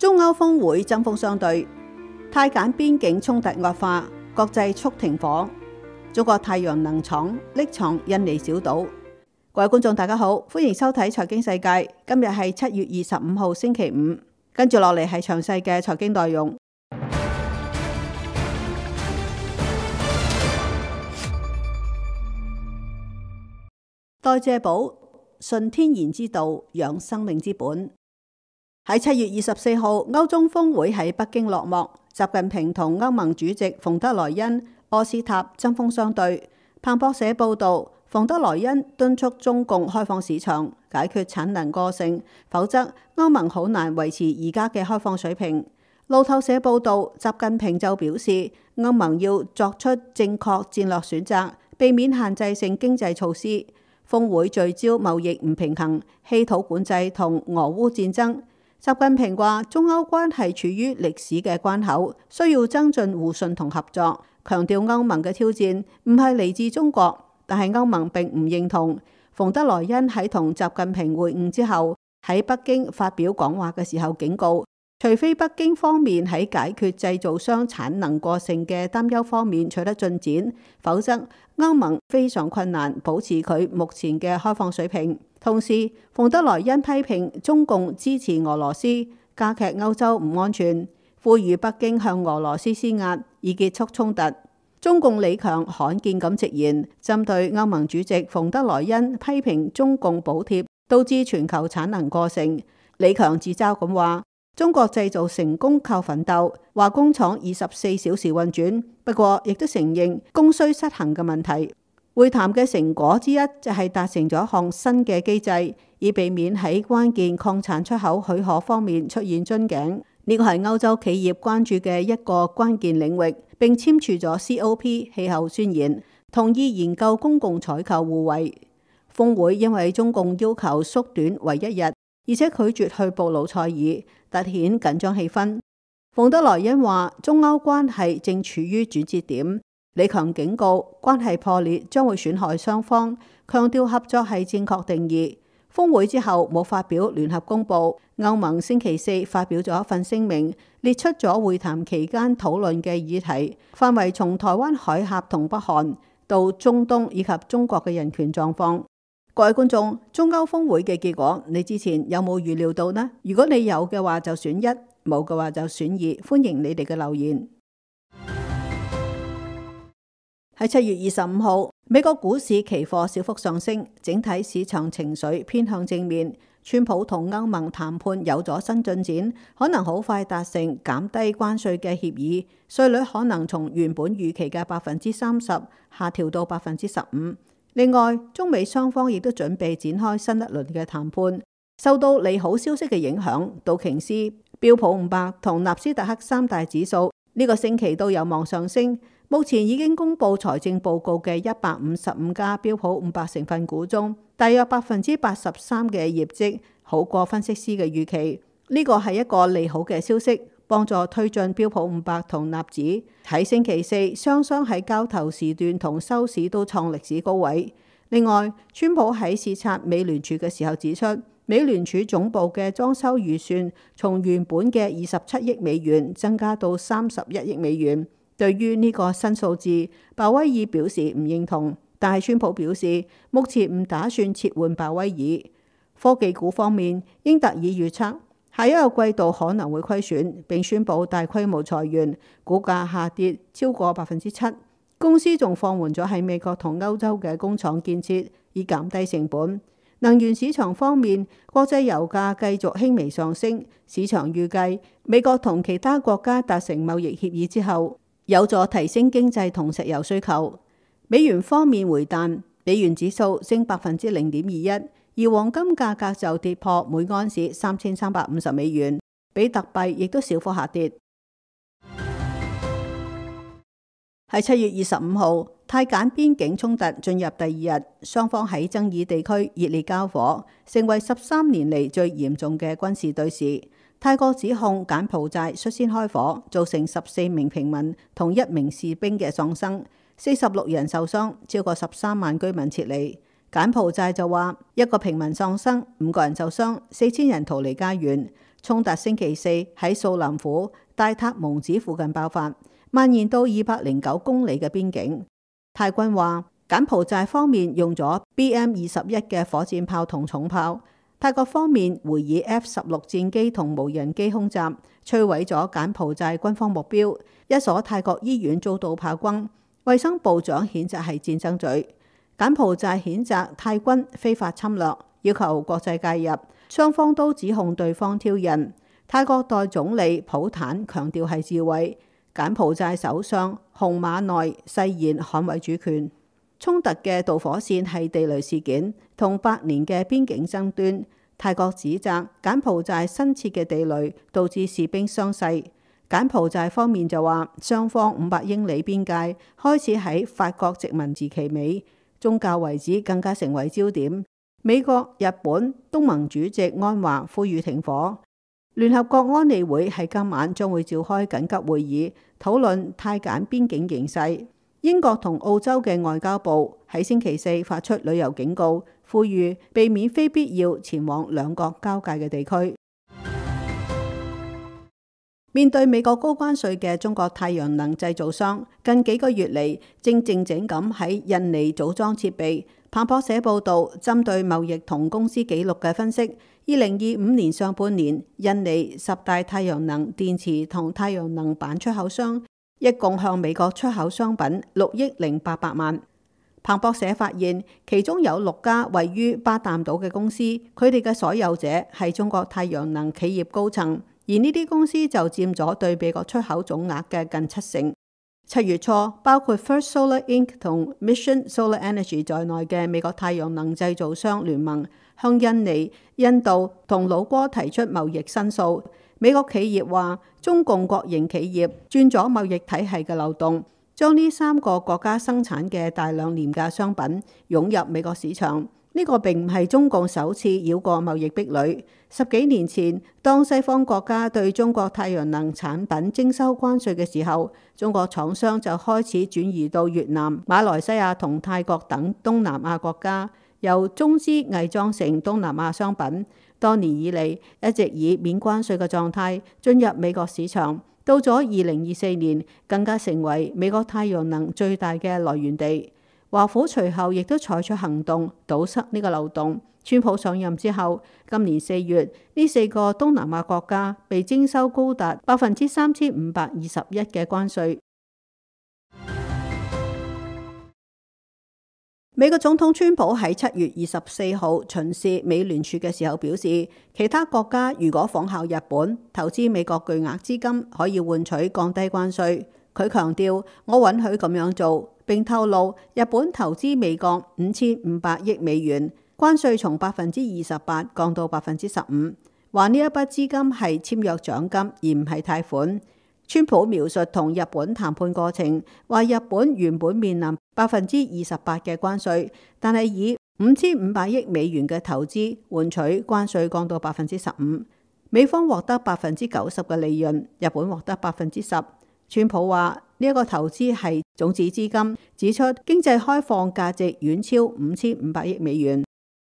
中歐峰會針鋒相對，泰柬邊境衝突惡化，國際促停火。中國太陽能廠匿藏印尼小島。各位觀眾大家好，歡迎收睇財經世界。今日係7月25號星期五，跟住落嚟係詳細嘅財經內容。代謝寶，順天然之道，養生命之本。喺7月24號，歐中峰會喺北京落幕，習近平同歐盟主席馮德萊恩、柯斯塔針鋒相對。彭博社報道，馮德萊恩敦促中共開放市場，解決產能過剩，否則歐盟好難維持而家嘅開放水平。路透社報道，習近平就表示，歐盟要作出正確戰略選擇，避免限制性經濟措施。峰會聚焦貿易唔平衡、稀土管制同俄烏戰爭。習近平話：中歐關係處於歷史嘅關口，需要增進互信同合作。強調歐盟嘅挑戰唔係嚟自中國，但係歐盟並唔認同。馮德萊恩喺同習近平會晤之後，喺北京發表講話嘅時候警告，除非北京方面喺解決製造商產能過剩嘅擔憂方面取得進展，否則歐盟非常困難保持佢目前嘅開放水平。同時，馮德萊恩批評中共支持俄羅斯，加劇歐洲唔安全，呼籲北京向俄羅斯施壓，以結束衝突。中共李強罕見咁直言，針對歐盟主席馮德萊恩批評中共補貼導致全球產能過剩，李強自嘲咁話：中國製造成功靠奮鬥，話工廠24小時運轉，不過亦都承認供需失衡嘅問題。會談嘅成果之一就係達成咗一項新嘅機制，以避免喺關鍵礦產出口許可方面出現樽頸。呢個係歐洲企業關注嘅一個關鍵領域，並簽署咗 COP 氣候宣言，同意研究公共採購互惠。峰會因為中共要求縮短為1日，而且拒絕去布魯塞爾，凸顯緊張氣氛。馮德萊恩話：中歐關係正處於轉折點。李強警告，關係破裂將會損害雙方，強調合作係正確定義。峰會之後冇發表聯合公佈，歐盟星期四發表咗一份聲明，列出咗會談期間討論嘅議題，範圍從台灣海峽同北韓到中東以及中國嘅人權狀況。各位觀眾，中歐峰會嘅結果，你之前有冇預料到呢？如果你有嘅話就選1，冇嘅話就選2，歡迎你哋嘅留言。喺7月25號，美國股市期貨小幅上升，整體市場情緒偏向正面。川普同歐盟談判有咗新進展，可能好快達成減低關稅嘅協議，稅率可能從原本預期嘅30%下調到15%。另外，中美雙方亦都準備展開新一輪嘅談判。受到利好消息嘅影響，道瓊斯、標普500同納斯達克三大指數呢個星期都有望上升。目前已經公布財政報告嘅155家標普500成分股中，大約83%嘅業績好過分析師嘅預期。呢個係一個利好嘅消息，幫助推進標普500同納指。喺星期四，雙雙喺交投時段同收市都創歷史高位。另外，川普喺視察美聯儲嘅時候指出，美聯儲總部嘅裝修預算從原本嘅27億美元增加到31億美元。對於呢個新數字，鮑威爾表示唔認同，但係川普表示目前唔打算撤換鮑威爾。科技股方面，英特爾預測下一個季度可能會虧損，並宣布大規模裁員，股價下跌超過7%。公司仲放緩咗喺美國同歐洲嘅工廠建設，以減低成本。能源市場方面，國際油價繼續輕微上升，市場預計美國同其他國家達成貿易協議之後，有助提升經濟同石油需求。美元方面回彈，美元指數升0.21%，而黃金價格就跌破每盎司3350美元，比特幣亦都小幅下跌。喺7月25號，泰柬邊境衝突進入第2日，雙方喺爭議地區熱烈交火，成為13年嚟最嚴重嘅軍事對峙。泰國指控柬埔寨率先開火，造成14名平民同1名士兵嘅喪生，46人受傷，超過13萬居民撤離。柬埔寨就話1個平民喪生，5個人受傷，4000人逃離家園。衝突星期四喺素林府戴塔蒙子附近爆發，蔓延到209公里嘅邊境。泰軍話柬埔寨方面用咗 BM-21嘅火箭炮同重炮，泰國方面回以 F-16戰機同無人機空襲，摧毀咗柬埔寨軍方目標，一所泰國醫院遭到炮轟。衛生部長譴責係戰爭罪。柬埔寨譴責泰軍非法侵略，要求國際介入，雙方都指控對方挑釁。泰國代總理普坦強調係自衛，柬埔寨首相洪馬內誓言捍衛主權。衝突嘅導火線係地雷事件同8年嘅邊境爭端。泰國指責柬埔寨新設嘅地雷導致士兵傷勢。柬埔寨方面就話雙方500英里邊界開始喺法國殖民時期尾。宗教遺址更加成為焦點。美國、日本、東盟主席安華呼籲停火。聯合國安理會喺今晚將會召開緊急會議，討論泰柬邊境形勢。英國同澳洲嘅外交部喺星期四發出旅遊警告，呼籲避免非必要前往兩國交界嘅地區。面對美國高關稅嘅中國太陽能製造商，近幾個月嚟正靜靜咁喺印尼組裝設備。彭博社報導，針對貿易同公司記錄嘅分析，2025年上半年，印尼10大太陽能電池同太陽能板出口商一共向美國出口商品6億800萬。彭博社發現，其中有6家位於巴淡島嘅公司，佢哋嘅所有者係中國太陽能企業高層。而呢啲公司就佔咗對美國出口總額嘅近70%。7月初，包括 First Solar Inc 同 Mission Solar Energy 在內嘅美國太陽能製造商聯盟向印尼、印度同老撾提出貿易申訴。美國企業話，中共國營企業鑽咗貿易體系嘅漏洞，將呢3個國家生產嘅大量廉價商品湧入美國市場。呢個並唔係中共首次繞過貿易壁壘。10幾年前，當西方國家對中國太陽能產品徵收關稅嘅時候，中國廠商就開始轉移到越南、馬來西亞同泰國等東南亞國家，由中資偽裝成東南亞商品。多年以嚟，一直以免關稅嘅狀態進入美國市場。到咗2024年，更加成為美國太陽能最大嘅來源地。華府隨後亦都採取行動堵塞呢個漏洞。川普上任之後，今年4月，呢4個東南亞國家被徵收高達3521%嘅關稅。美國總統川普喺7月24號巡視美聯儲嘅時候表示，其他國家如果仿效日本投資美國巨額資金，可以換取降低關稅。佢強調，我允許咁樣做，並透露日本投資美國5500億美元，關稅從28%降到15%，話呢一筆資金係簽約獎金而唔係貸款。川普描述同日本談判過程，話日本原本面臨28%嘅關稅，但係以5500億美元嘅投資換取關稅降到15%，美方獲得90%嘅利潤，日本獲得10%。川普話呢一個投資係種子資金，指出經濟開放價值遠超5500億美元。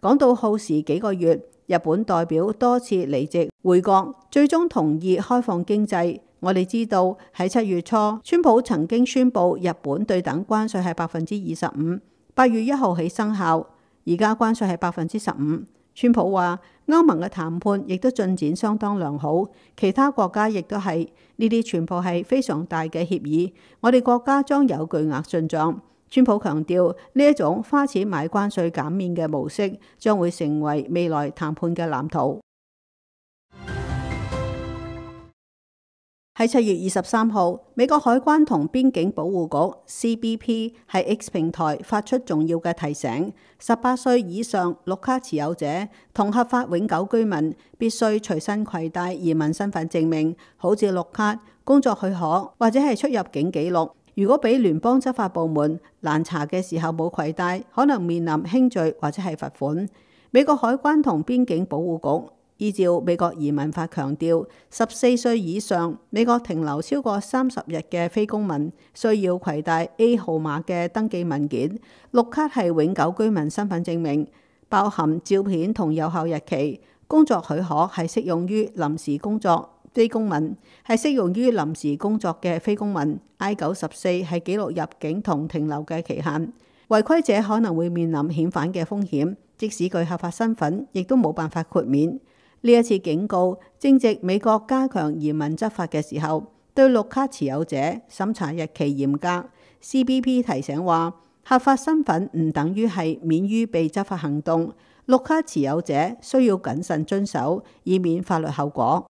講到耗時幾個月，日本代表多次離席回國，最終同意開放經濟。我哋知道喺7月初，川普曾經宣布日本對等關稅係25%，8月1號起生效。而家關稅係15%。川普話歐盟嘅談判亦都進展相當良好，其他國家亦都係，呢啲全部係非常大嘅協議。我哋國家將有巨額進賬。川普強調呢一種花錢買關稅減免嘅模式將會成為未來談判嘅藍圖。喺7月23號，美國海關同邊境保護局 CBP 喺 X 平台發出重要嘅提醒：18歲以上綠卡持有者同合法永久居民必須隨身攜帶移民身份證明，好似綠卡、工作許可或者係出入境記錄。如果俾聯邦執法部門攔查嘅時候冇攜帶，可能面臨輕罪或者係罰款。美國海關同邊境保護局依照美國移民法強調，14歲以上美國停留超過30日嘅非公民需要攜帶 A 號碼嘅登記文件。綠卡係永久居民身份證明，包含照片同有效日期。工作許可係適用於臨時工作非公民，係適用於臨時工作嘅非公民。I-94係記錄入境同停留嘅期限。違規者可能會面臨遣返嘅風險，即使具合法身份，亦都冇辦法豁免。呢一次警告正值美國加強移民執法嘅時候，對綠卡持有者審查日期嚴格。CBP 提醒話，合法身份唔等於係免於被執法行動，綠卡持有者需要謹慎遵守，以免法律後果。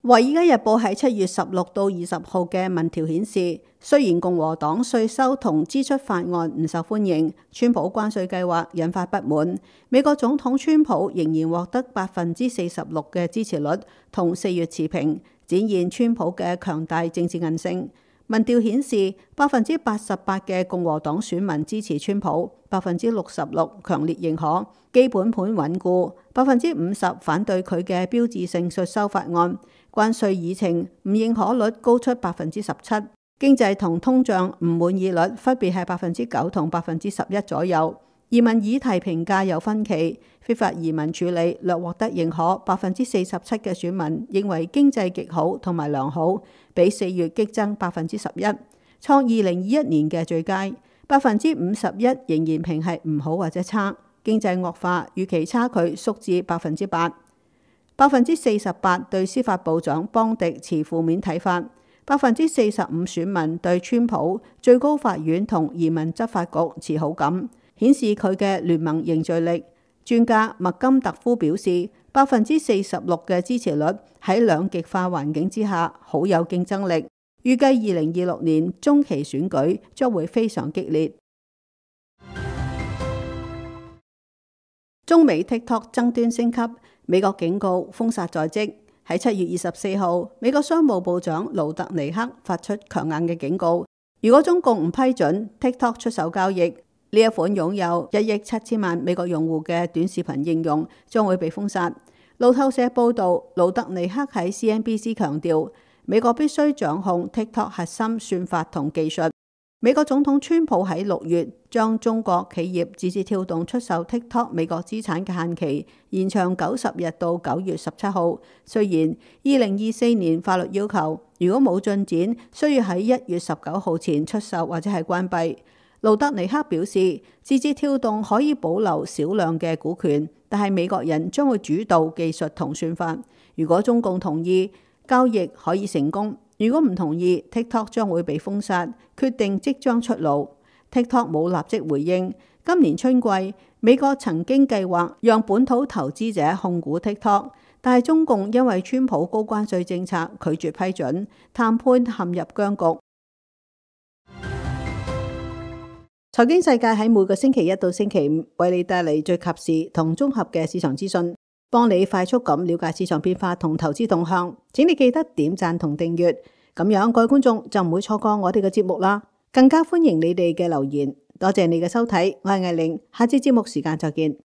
《華爾街日報》喺7月16到20號嘅民調顯示，雖然共和黨稅收同支出法案唔受歡迎，川普關稅計劃引發不滿，美國總統川普仍然獲得46%嘅支持率，同4月持平，展現川普嘅強大政治韌性。民調顯示，88%嘅共和黨選民支持川普，66%強烈認可基本盤穩固，50%反對佢嘅標誌性稅收法案。關稅議程唔認可率高出17%，經濟同通脹唔滿意率分別係9%同11%左右。移民議題評價有分歧，非法移民處理略獲得認可，47%嘅選民認為經濟極好同埋良好，比4月激增11%，創2021年嘅最佳。51%仍然評係唔好或者差，經濟惡化預期差距縮至8%。48%對司法部長邦迪持負面睇法，45%選民對川普、最高法院同移民執法局持好感，顯示佢嘅聯盟凝聚力。專家麥金特夫表示，46%嘅支持率喺兩極化環境之下好有競爭力，預計2026年中期選舉將會非常激烈。中美 TikTok 爭端升級，美國警告封殺在即。喺7月24號，美國商務部長盧特尼克發出強硬嘅警告，如果中共唔批准 TikTok 出手交易，呢一款擁有1億7千萬美國用戶嘅短視頻應用將會被封殺。路透社報導，盧特尼克喺 CNBC 強調，美國必須掌控 TikTok 核心算法同技術。美國總統川普喺6月將中國企業字節跳動出售 TikTok 美國資產嘅限期延長90日到9月17號。雖然2024年法律要求，如果冇進展，需要喺1月19號前出售或者係關閉。盧特尼克表示，字節跳動可以保留少量嘅股權，但係美國人將會主導技術同算法。如果中共同意，交易可以成功。如果唔同意 ，TikTok 將會被封殺，決定即將出爐。TikTok 冇立即回應。今年春季，美國曾經計劃讓本土投資者控股 TikTok， 但係中共因為川普高關稅政策拒絕批准，談判陷入僵局。財經世界喺每個星期一到星期五為你帶嚟最及時同綜合嘅市場資訊，幫你快速咁了解市場變化同投資動向。請你記得點讚同訂閱，咁樣各位觀眾就唔會錯過我哋嘅節目啦。更加歡迎你哋嘅留言。多謝你嘅收睇，我係艾玲，下次節目時間再見。